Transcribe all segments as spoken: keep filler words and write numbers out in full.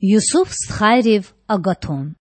Юсуф стхайрив агатун.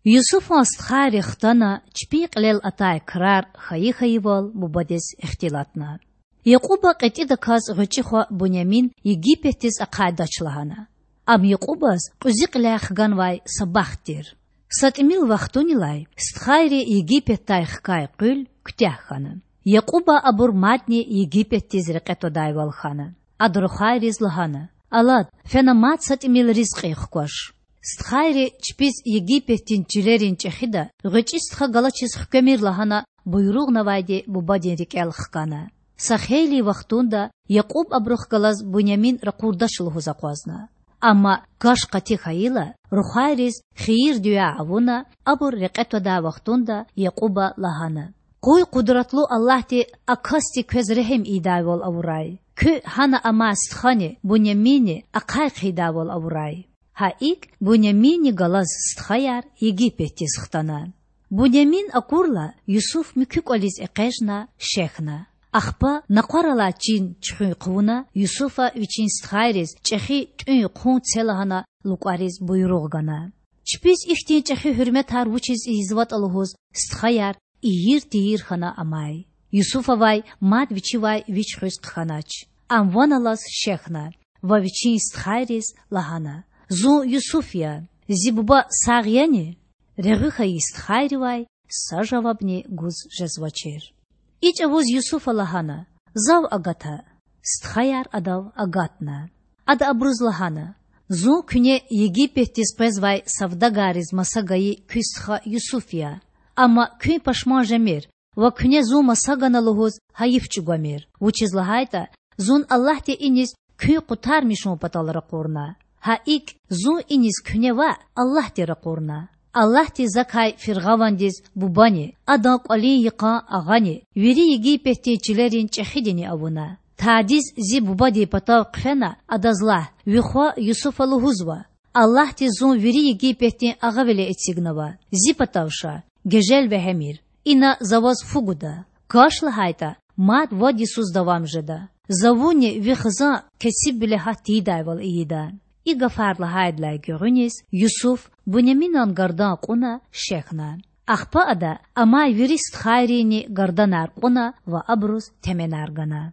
Юсуфан стхайри хтана, чпин кьилел атай крар хьайи-хьайивал бубадиз ихтилатна. Якьуба кьетІидаказ гъвечІи хва Бунямин Египетдиз ахъайдач лагьана. Ам Якьубаз кьуьзуь кьиляй хганвай са бахт тир. Са тІимил вахтунилай стхайри Египетдай хкай къуьл куьтягь хьана. Якьуба абур мадни Египетдиз рекье твадайвал хьана. Ада рухвайриз лагьана: Алад, фена мад са тІимил ризкьи хкваш. Стхайри чпиз Египетдин чилерин чІехида гъвечІи стха галачиз хквемир лагьана буйругънавайди бубадин рикІел хкана. Са хейлин вахтунда Якьуб абурухъ галаз Бунямин ракъурдач лугьуз акъвазна. Амма каш къати хьайила, рухвайриз хийир-дуьа авуна, абур рекье твадай вахтунда Якьуба лагьана: Къуй къудратлу Аллагьди а касди квез регьим ийидайвал авурай. Куьн гьана амай стхани Буняминни ахъай хъийидайвал авурай. Гьа икІ Буняминни галаз стхаяр Египетдиз хтана. Бунямин акурла, Юсуф муькуь кІвализ экъечІна, шехьна. Ахпа накъвар алай чин чуьхуьн хъувуна, Юсуфа вичин стхайриз чІехи тІуьн-хъун це лагьана лукІариз буйругъ гана. Чпиз ихьтин чІехи гьуьрметар вучиз ийизватІа лугьуз стхаяр ийир-тийир хьана амай. Юсуфавай мад вичивай вич хуьз хъхьанач. Ам ван алаз шехьна ва вичин стхайриз лагьана: Зун Юсуф я. Зи буба сагъ яни? Регъуь хьайи стхайривай са жавабни гуз жезвачир. И чІавуз Юсуфа лагьана: Зав агата. Стхаяр адав агатна. Ада абуруз лагьана: Зун куьне Египетдиз къвезвай савдагарриз маса гайи куь стха Юсуф я. Амма куьн пашман жемир ва куьне зун маса гана лугьуз гьайиф чІугвамир, вучиз лагьайтІа зун Аллагьди иниз куьн къутармишун патал ракъурна. Гьа икІ, зун иниз куьне ваъ, Аллагьди ракъурна. Аллагьди закай фиргъавандиз бубани, адан кІвалин йикъан агъани, вири Египетдин чилерин чІехидини авуна. Тадиз зи бубадин патав хъфена, адаз лагь: ви хва Юсуфа лугьузва: Аллагьди зун вири Египетдин агъавиле эцигнава. Зи патав ша, гежел вегьемир. Ина за ваз фу гуда. Каш лагьайтІа, мад вад йисуз давам жеда. За вунни ви хизан кесибвиле гьат тийидайвал ийида. И гафар лагьайдалай гуьгъуьниз Юсуф Буняминан гардан кьуна шехьна. Ахпа ада амай вири стхайринни гарданар кьуна ва абуруз теменар гана.